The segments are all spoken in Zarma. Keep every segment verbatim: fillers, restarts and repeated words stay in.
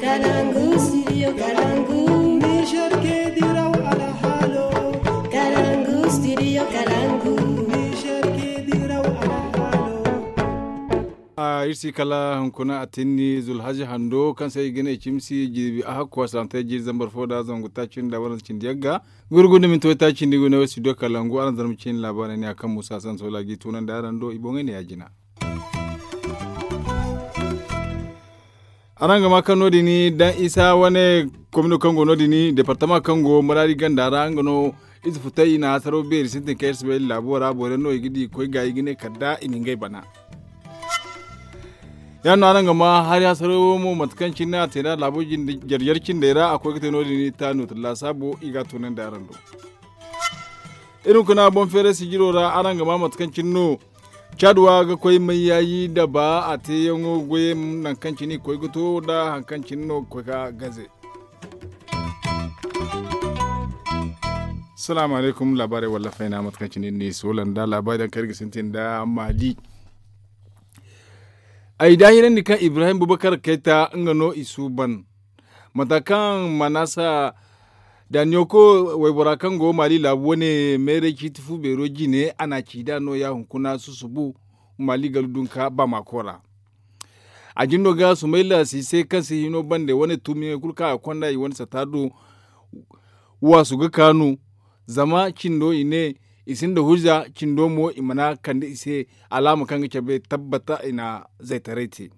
Kalangu studio kalangu. Niger ke diraw alhalo. Kalangu studio kalangu. Niger ke diraw alhalo. A iri si kala hunkuna a tinni zulhaji hando kaŋ se i ga ne cimsi jirbi a hakku a salaŋ te jiiri zambar fo da zangu taaci nda waranza cindi yagga. Gurgu nda minti way taaci nda i go ne way studio kalangu araŋ zarma cin laabaarey ne a kaŋ musa sansola ga i tunandi araŋ do i boŋey ne ya jina. Araŋ ga ma kaŋ no- din daŋ isa wane komino kaŋ go no- din departama kaŋ go maraadi ganda ra nga no. Ize futay i na hasaro beeri sintin kaŋ iri si bay laabo ra boro yaŋ no i ga di koy ga i ga ne kala da i na ngey bana. Ya- din no araŋ ga ma hari hasaro wo mo mate kaŋ cine a te nd'a laabo jarjar cindey ra a koy ga te no- din taanu tun laasaabo i ga a tunandi araŋ do. Iri hunkuna boŋ feeray sijiro ra araŋ ga ma mate kaŋ cine no. Caad wa ga koy mayyayi daba a teeyaŋo goyey nangu kaŋ cine i koy ga to nda hari kaŋ cine no ga koy ga gaze. Salaamu alaykum laabaarey wallafey na mate kaŋ cine iri n'i soola nda laabaari daŋ kaŋ iri ga sintin nda maali. Ay daahirandi kaŋ ibrahim bubakar kayta nga no i suuban mata kaŋ manasa daniyoko waybora kaŋ go maali laabu wane meeray ciiti fu beero jine a na a ci da nooya hunkuna susubu maali galu dunka baamako ra. A jine no ga sumayla siise kaŋ se hino bande wane tumiyaŋey kulu kaŋ a ga konda i wane sata do. Waasu ga kaanu zama cindo i ne i sinda hujja cindo mo i mana kande i se alaama kaŋ ga cabe tabbata i na zaytaray te.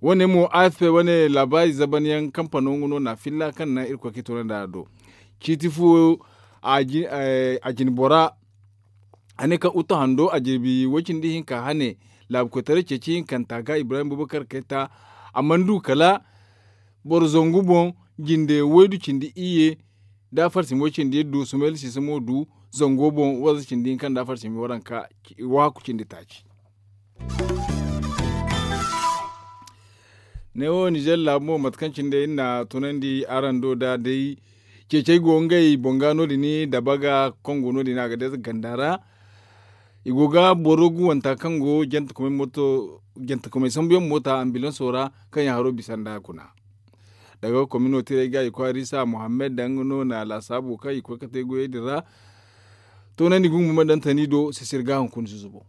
Wane mo afp wane laabaari zabanyaŋ kampano nga no na filla kaŋ naŋ irkoy ga i toonandi a do. Ciiti fu a jine bora a ne kaŋ utu hando a jirbi woy cindi hinka hane laabu koytaray ceeci hinkanta ga ibrahim bubakar kayta. A mana du kala boro zangu boŋ jinde waydu cindi iyye da farsimi way cindi du sumayla siisa mo du zango boŋ wanza cindi hinka nda farsimi waranka wahakku cindi taaci. Ne wo nizer laabu mo mate kaŋ cine day iri na tunandi araŋ do da day ceecey go ngey boŋ ga no- din dabaga kaŋ go no- din a ga day ganda ra. I go ga boro guwanta kaŋ go jantakumey sambuyaŋ moota ambilanso ra kaŋ yaŋ haro bisa nda kuna. Daga komino tiray ga i kwaarisa muhammad daŋ no na laasaabo kaŋ i koy ga te goyey din ra. Toonandi gungu ma daŋ tani do sisir ga hunkuna susubo.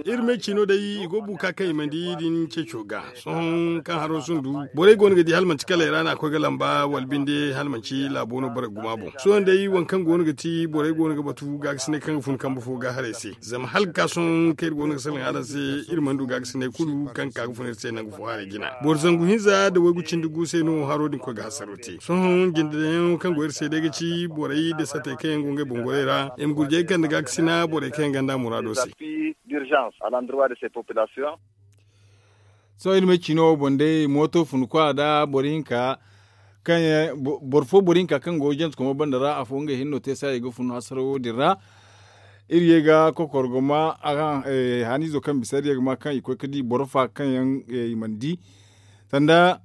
Iri me ciino day i go buka kaŋ i mana di din ceeco ga. Sohõ kaŋ haro sundu borey go no ga di hala manti kala i ra no a koy ga lamba wala binde hala manti laabo no borey guma boŋ sohõ day waŋ kaŋ go no ga ti borey go no ga batu gaakasinay kaŋ ga fun kambe fo ga haray se. Zama hala ga ka sohõ kaŋ iri go no ga salaŋ araŋ se iri mana du gaakasinay kulu kaŋ ga ka ga fun iri se nangu fo haray jina boro zangu hinza nda waygu cindi gu se no haro din koy ga hasaro te sohõ jindeyaŋo kaŋ go iri se day ga ci borey nda satey kaŋ yaŋ go ngey boŋ goray ra i ma gurjey kande gaakasina borey kaŋ yaŋ gonda muraado se. Sohõ iri ma ay ciino wo boŋ day mooto fun kwa nda boro hinka kaŋ yaŋ boro fo boro hinka kaŋ go jantakomo banda ra afo ngey hinne no te saayey ga fun hasarawo din ra. Iri ye ga kokoro ga ma haaniizo kaŋ bisa iri ye ga ma kaŋ i koy ga di boro fa kaŋ yaŋ i mana di sanda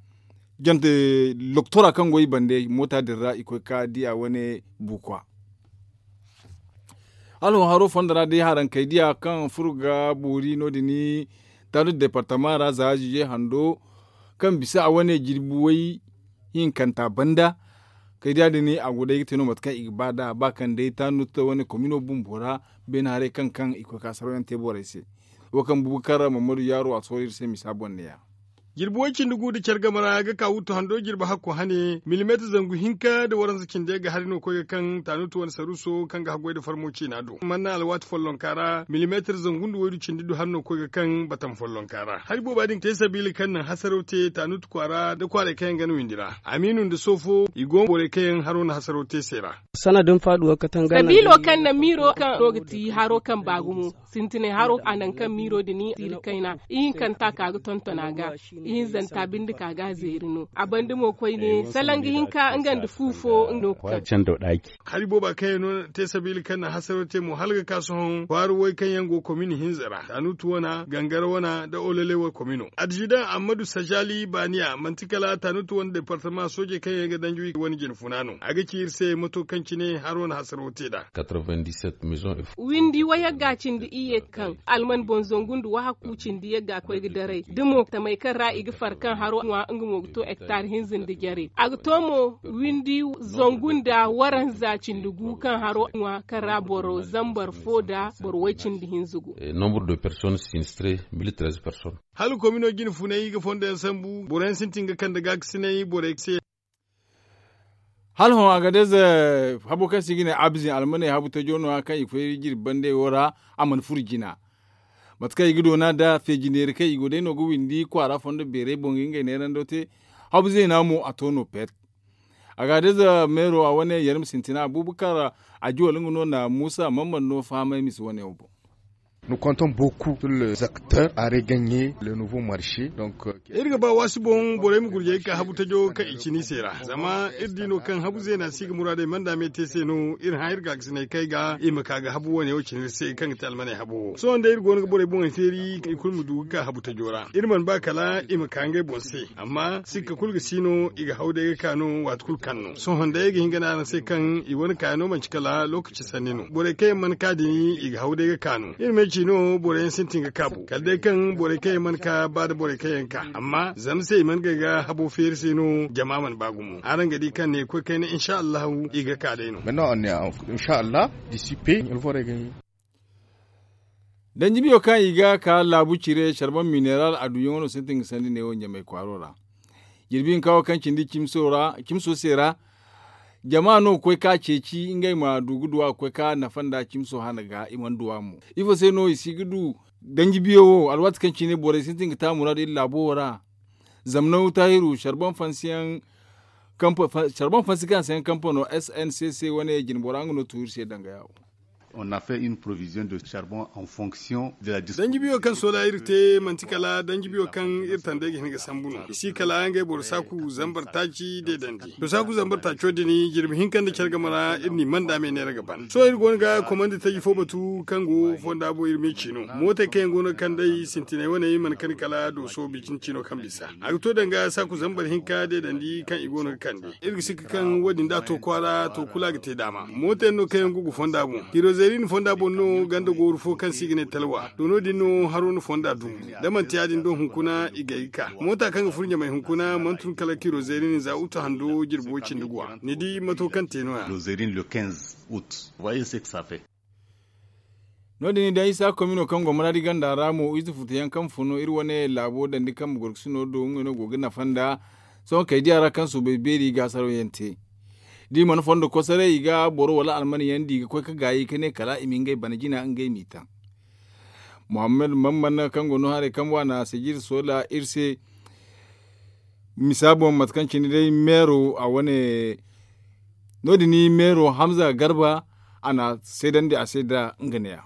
jante loktora kaŋ go i bande moota din ra i koy ga di a wane bukwa. Hala wo haro fondo ra day harankey diya kaŋ furo ga boori no- din taadu departama ra za zize hando kaŋ bisa a wane jirbi way hinkanta banda. Kay diya din a go day ga te no mate kaŋ i ga ba nd'a ba kaŋ day taanu ta wane komino bumbo ra beene haray kaŋ kaŋ i koy ga saraw yaŋ te borey se. Wo kaŋ bubakar mammadu yaaro a sohõ iri se misa boŋ ne- ya. Jirbi way cindi gu nda care game ra ga ka wuttu hando jirbi hakko hane milimeetir zangu hinka nda waranza cindi ga hari no koy ga kaŋ taanutu wane saruuso kaŋ ga haggoy nda farmo ciina do manna alwaati follonka ra milimeetir zangu nda waydu cindi du hari no koy ga kaŋ batam follonka ra hari booba din te sabiila kaŋ naŋ hasaraw te taanutu kwaara nda kwaarey kaŋ yaŋ gana windi ra amiinu nda soofo i go borey kaŋ yaŋ haro na hasaraw te se ra. Sabiilo kaŋ naŋ miiro kaŋ no ga ti haro kaŋ ba gumo sintinay haro a naŋ kaŋ miiro din tiiri kayna ihinkanta ka ga tonton a ga. Ihinzanta binde ka ga a zeeri no a banda mo koyne salaŋ ga hin ka nga nda fu fo no ga kaŋ. Hari booba kaŋ yaŋ no te sabiila kaŋ na hasaro te mo hala ga ka sohõ kwaara way kaŋ yaŋ go komin hinza ra tanutu wana gangara wana nda olole war komino addizidaŋ ammadu sajali baaniya manti kala tanutu wane departama soojey kaŋ yaŋ ga danji wane jine funa no a ga ci iri se mato kaŋ cine haro na hasaro te nd'a. Windi wayagga cindi iyye kaŋ alman boŋ zangu nda wahakku cindi yagga koy ga daray da mo tamey kaŋ ra i ga far kaŋ haro ŋwa nga mo ga to hektar hinza nda jare a ga to mo windi zangu nda waranza cindi gu kaŋ haro ŋwa kaŋ ra boro zambar fo nda boro way cindi hinza gu. Hala komino jine funay ga fondo yaŋ sambu boro yaŋ sintin ga kande gaakasinay borey se. Hala hõ a ga day ze habo kaŋ se i ga ne abizin almaney habu tajo no- ya kaŋ i koy jirbi bande wo ra a mana furo jina. Mate kaŋ i ga doona nda feeji neeri kaŋ i go day no ga windi kwaara fondo beerey boŋ ga ngey neerando te. Habu zeena mo a to no pet. A ga day ze meero a wane yarma sintina abuubakar ajiwal nga no na muusa mamman no fahamay mise wane wo boŋ. Iri ga ba waasi boŋ borey ma gurjey ga ka habu tajo kaŋ i cina i se ra zama iri di no kaŋ habu zeena si ga muraadey manda me te se no iri hã iri gaakasiney kaŋ ay ga i ma ka ga habu wane wo cina iri se kaŋ ga te almaney habu wo sohõ day iri go no ga borey boŋey feeri i kulu ma du ga ka habu tajo ra iri mana ba kala i ma ka ngey boŋ se. Amma sikka kulu ga si no i ga haw day ga ka no waati kulu kaŋ no sohõ day ay ga hin ga ne araŋ se kaŋ i wane kaayaŋo manti kala lookaci sanni no borey kaŋ yaŋ mana ka din i ga haw day ga ka no iri ma ay ci no borey yaŋ sintin ga kaabu kala day kaŋ borey kaŋ yaŋ mana ka ba nda borey kaŋ yaŋ ka amma zama se i mana gay ga habo feeri se no jama mana ba gumo araŋ ga di kaŋ ne koy kayna insa allahu i ga ka day no. Danji biyo kaŋ i ga ka laabu cire carban mineral a duyaŋo no sintin ga sandi neewo ɲamay kwaaro ra. Jirbi hinka wo kaŋ cindi cimso se ra jama no ga koy ka ceeci ngey ma du ga duwa ga koy ka nafa nda cimso hana ga i mana duwa mo ifo se no i si ga du? Danji biyo wo alwaati kaŋ cine borey sintin ga ta muraadu iri laabo wo ra. Zama naw taahiru carban fansi kaŋ se yaŋ kampano sncc wane jinbora nga no tu iri se danga yawo. Danji biyo kaŋ sola iri te manti kala danji biyo kaŋ iri tandey ga hin ga sambu no i si kala ngey boro saaku zambar taaci deedandi to saaku zambar taaco din jirbi hinka nda care game ra iri n'i manda me neera ga ban sohõ iri go no ga komandi taji fo batu kaŋ go fonda bo iri me ci no mootey kaŋ yaŋ go no ga kand'ey sintinay wane mana kani kala dooso bicin cino kaŋ bisa a ga to danga saaku zambar hinka deedandi kaŋ i go no ga kande iri ga sikka kaŋ wo- din da a to kwaara to kulu a ga te daama moota yaŋ no kaŋ yaŋ go ga fonda boŋ kirozeeri na fonda boŋ no ganda gooru fo kaŋ se i ga ne talwa to no- din no haro na fonda dumbu da manti ya- din do hunkuna i gay ga ka moota kaŋ ga furo ɲamay hunkuna mana tun kala kirozeeri na za utu hando jirbi way cindi guwa ni di mato kaŋ te no- ya. No- din i daŋ isa komino kaŋ go maraadi ganda ra mo ize futu yaŋ kaŋ fun iri wane laabo dandi kambe gorgasino do ngey no go ga nafa nda sohõ kay diya ra kaŋ soobay beeri gaasaraw yaŋ te. Da i mana fondo kosoray i ga boro wala alman yaŋ di ga koy ga gaayi ka ne kala i ma ngey bana jina ngey m'i taŋ. Muhammad mamman kaŋ go no haray kaŋ waana sijir soola iri se. Misa boŋ mate kaŋ cine day meero a wane no- din meero hamza garba a na seedandi a se da nga neeya.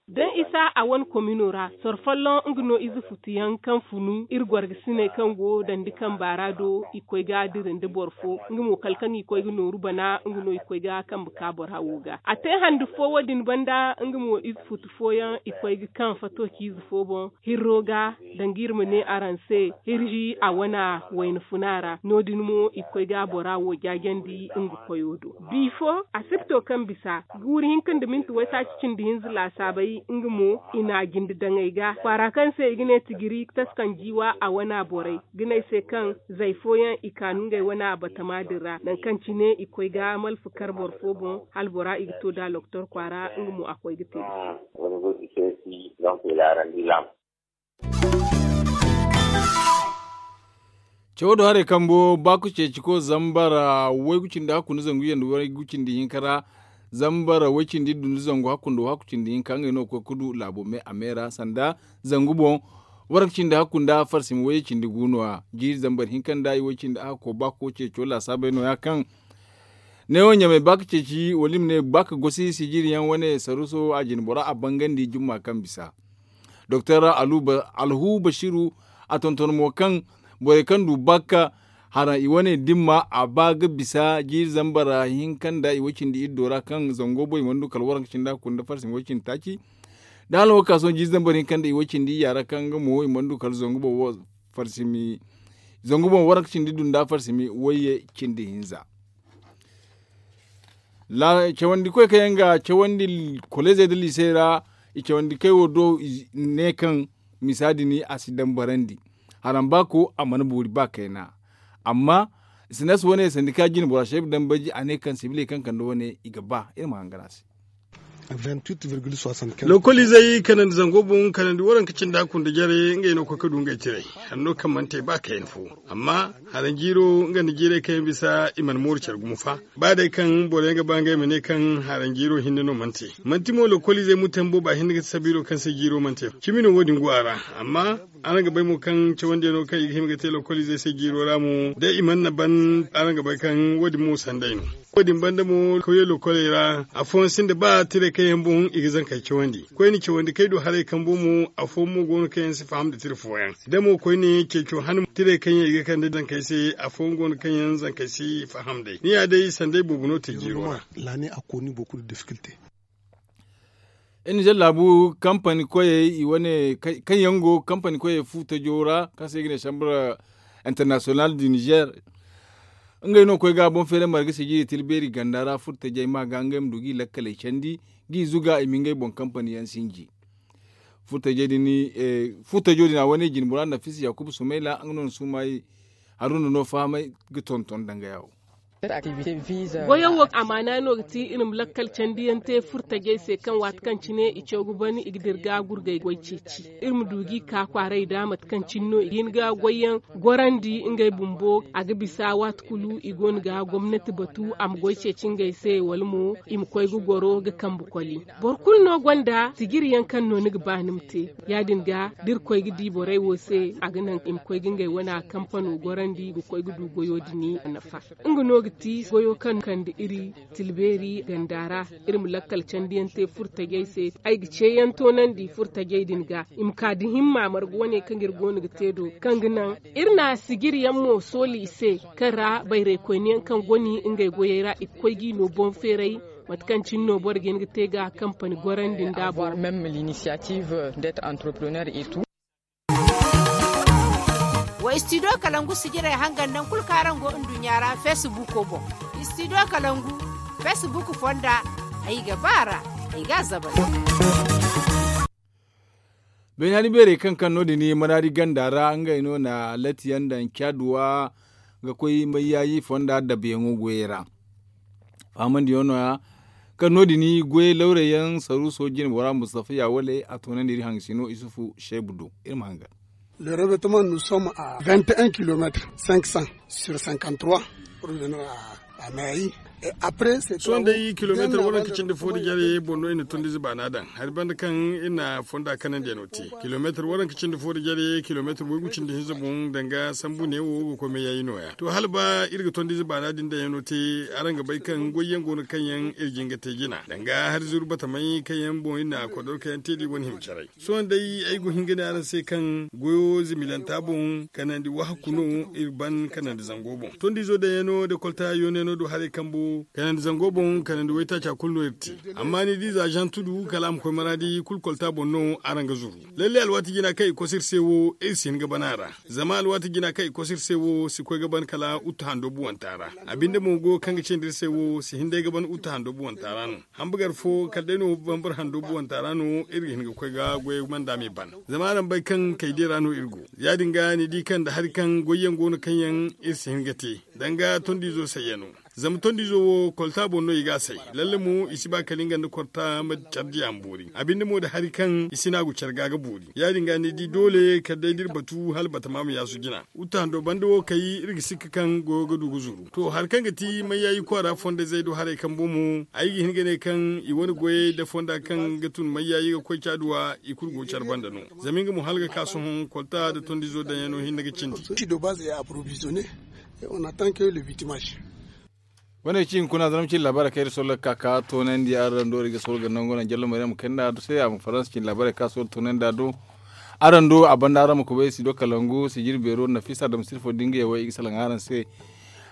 Daŋ isa a wane komino ra soro folloŋ nga no ize futuyaŋ kaŋ funu iri gorgasiney kaŋ go dandi kamba ra do i koy ga dira nda boro fo nga mo kala kaŋ i koy ga nooru bana nga no i koy ga kambe ka bora wo ga a te handu fo wo- din banda nga mo ize futu fooyaŋ i koy ga kaŋ fato ciize fo boŋ hirro ga danga iri ma ne araŋ se hirji a wana wayna funa ra no- din mo i koy ga bora wo jaajandi nga koyo do. Bifo asipto kaŋ bisa guuri hinka nda minti waytaaci cindi hinza laasaabay nga mo i n'a jinde daŋey ga kwaara kaŋ se i ga ne tigiri taskan jiiwa a wana borey ga ne ay se kaŋ zay fooyaŋ i kaanu ngey wana batama din ra nangu kaŋ cine i koy ga malfa kar boro fo boŋ hala bora i ga to da loktor kwaara nga mo a koy ga te ga. Cawo do haray kambo baaku ceeci ko zambar waygu cindi hakku nda zangu yanda waygu cindi hinka ra zambar way cindi iddu nda zangu hakku nda wahakku cindi hinka ngey no ga koy ga du laabo me a me ra sanda zangu boŋ. Waranka cindi hakku nda farsima wayye cindi gu no- ya jiiri zambar hinka nda i way cindi hakko baaku ceeco laasaabey no- ya kaŋ neewo ɲamay ba ka ceeci wala i ma ne ba ka gosi sijiri yaŋ wane saruso a jine bora a bangandi jumma kaŋ bisa. Doktor alhu basiru a tonton mo kaŋ borey kaŋ du bakka haraŋ i wane dimma a ba ga bisa jiiri zambar hinka nda i way cindi iddo ra kaŋ zango boŋ i mana du kala waranka cindi a kunda farsimi way cindi taaci. Da hala wo ga ka sohõ jiiri zambar hinka nda i way cindi iyya ra kaŋ nga mo i mana du kala zangu boŋ waranka cindi iddu nda farsimi wayye cindi hinza. Cawandi koy kaŋ yaŋ ga cawandi kolezey nda liisey ra i cawandi kay wo do ne kaŋ misa din a si dambarandi. Haraŋ ba ko a mana boori ba kayna. Amma sinas wane sandika jine bora shaybu dambaji a ne kaŋ sibiley kaŋ kande wane i ga ba iri ma hangan a se. Lokoliizey kanandi zango boŋ kanandi waranka cindi a kunda jare ngey no koy ga du ngey tiray. Hanno kaŋ mana te ba kayna fo. Amma haraŋ jiiro nga nda jiirey kaŋ yaŋ bisa i mana mooru care gumo fa. Ba day kaŋ boro yaŋ ga ba ngey ma ne kaŋ haraŋ jiiro hinne no mana te. Manti mo lokoliizey mutan booba hinne ga ti sabiilo kaŋ se jiiro mana te. Cimi no wo- din go a ra. Amma araŋ ga bay mo kaŋ cawandiyano kaŋ i ga hima ga te lokoliizey se jiiro ra mo da i mana na ban. Araŋ ga bay kaŋ wo- din mo sanday no. Wo- din banda mo koyey lokoley ra afooyaŋ sinda ba tiray kaŋ yaŋ boŋ i ga zankey cawandi. Koyne cawandi kay do haray kambo mo afooyaŋ mo go no kaŋ yaŋ si faham nda tira fooyaŋ. Da mo koyne ceeco han tiray kaŋ yaŋ i ga kande zankey se afooyaŋ go no kaŋ yaŋ zankey si faham day ni ya day sanday boobo no te jiiro ra. Iri na zallaabu kampani koyey i wane kaŋ yaŋ go kampani koyey fu tajo ra kaŋ se i ga ne chambre international du niger. Ngey no koy ga boŋ feeray marga sijiri tila beeri ganda ra furtajey ma ga ngey ma du ga i lakkaley candi ga i zuga i ma ngey boŋ kampani yaŋ sinji. Furtajey din furtajo din a wane jinbora nafisa yakuba sumayla nga no na suumayi. Haruna no fahamay ga tonton danga yawo. Goyo wo amaana no ga ti iri ma lakkal candiyaŋ te furtajey se kaŋ waati kaŋ cine i caw ga ban i ga dira ga gurgay goy ceeci. Iri ma du ga i ka kwaaray da mate kaŋ cine no i ga hin ga goyyaŋ gorandi ngey bumbo a ga bisa waati kulu i go no ga gomnati batu a ma goy ceeci ngey se wala mo i ma koy ga goro ga kambe koli. Boro kulu no gonda sijiri yaŋ kaŋ no ni ga ba ni ma te. Ya- din ga da iri koy ga di borey wo se a ga naŋ i ma koy ga ngey wane kampano gorandi ga koy ga du goyo din nafa. Nga no ga ti goyo kaŋ kande iri tilbeeri ganda ra. Iri ma lakkal candiyaŋ te furtajey se ay ga ceeyaŋ toonandi furtajey din ga i ma ka da himma marga wane kaŋ iri go no ga te do kaŋ ga naŋ iri na sijiri yaŋ mo sooli i se kaŋ ra bayraykoyne yaŋ kaŋ goni ngey goyey ra i ga koy ga i no boŋ feeray. Mate kaŋ cine no boro ga hin ga te ga kampani gorandi nda boro. Wa studio kalangu sijirey hangan naŋ kulu kaŋ araŋ go nduɲɲa ra feesibuuko boŋ. Studio kalangu feesibuuk fonda ay ga ba a ra ay ga a zabari. Baynaani beerey kaŋ kaŋ no- din maraadi ganda ra ngey no na latiyaŋ daŋ caaduwa ga koy mayyaayi fonda dabayaŋo goyey ra. Fahamandiyaŋo nooya kaŋ no- din goyey lawrey yaŋ saruuso jine bora mustafa ya wale a toonandi iri hangasino isufu seebu do. Iri ma hangan. Le revettement nous sommes à vingt et un kilomètres cinq cents sur cinquante trois pour venir à mayayi. Sohõ day kilomeetar waranka cindi fo da jare boŋ no i na tondiize baana daŋ hari banda kaŋ i na fonda kanandiyaŋo te. Kilomeetar waranka cindi fo da jare kilomeetar waygu cindi hinza boŋ danga sambu neewo ga koy mayayi nooya to hala ba iri ga tondiize baana din daŋyaŋo te. Araŋ ga bay kaŋ goyyaŋ go no kaŋ yaŋ iri jin ga te jina danga hari zuru batamay kaŋ yaŋ boŋ iri na kodorkoyaŋ te da i wane hima caray. Sohõ day ay go hin ga ne araŋ se kaŋ goyo zimilanta boŋ kanandi wahakku no iri ban kanandi zango boŋ tondiizo daŋyaŋo nda kolta yooneno do haray kambo kanandi zango boŋ kanandi waytaaca kulu no iri te. Amma ni di za zantu du kala a ma koy maraadi kulu kolta boŋ no araŋ ga zuru. Lalle alwaati jina kaŋ i koso iri se wo iri si hin ga ban a ra. Zama alwaati jina kaŋ i koso iri se wo si koy ga ban kala uttu hando buwanta ra. A binde mo go kaŋ ga cindi iri se wo si hin day ga ban uttu hando buwanta ra no. Hambugar fo kala day no bambara hando buwanta ra no iri ga hin ga koy ga goyey manda me ban. Zama araŋ bay kaŋ kaydiya ra no iri go. Ya- din ga ni di kaŋ nda hari kaŋ goyyaŋ go no kaŋ yaŋ iri si hin ga te danga tondiizo sayyano. Zama tondiizo wo kolta boŋ no i ga a say. Lalle mo i si ba kala nga nda kolta ma care diya ma boori a binde mo nda hari kaŋ i si naagu care ga ga boori. Ya- din ga ni di doole kala day da iri batu hala batama ma yaasu jina. Uta hando banda wo kay iri ga sikka kaŋ goyo ga du ga zuru to hari kaŋ ga ti mayyaayi kwaara fondayzey do haray kambo mo ay ga hin ga ne kaŋ i wane goyey nda fonda kaŋ ga tun mayyaayi ga koy caaduwa i kulu go care banda no. Zama nga mo hala ga ka sohõ kolta nda tondiizo daŋyaŋo hinne ga cindi. Wane cin kuna zama cin labaarey kaŋ iri sohõ ga ka ka toonandi araŋ do iri ga sohõ ga nangu naŋ jallo maryam kayna do se a ma faransa cin labaarey kaŋ a sohõ ga toonandi a do. Araŋ do a banda araŋ ma kubay si do kalangu sijir beero nafiisa dam sirfo da nga yaŋ wo i ga salaŋ araŋ se.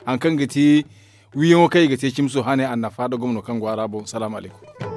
Hari kaŋ ga ti wiiyaŋo kaŋ i ga te cimso hane annafa nda gomno kaŋ go a ra boŋ salaamu alaykum.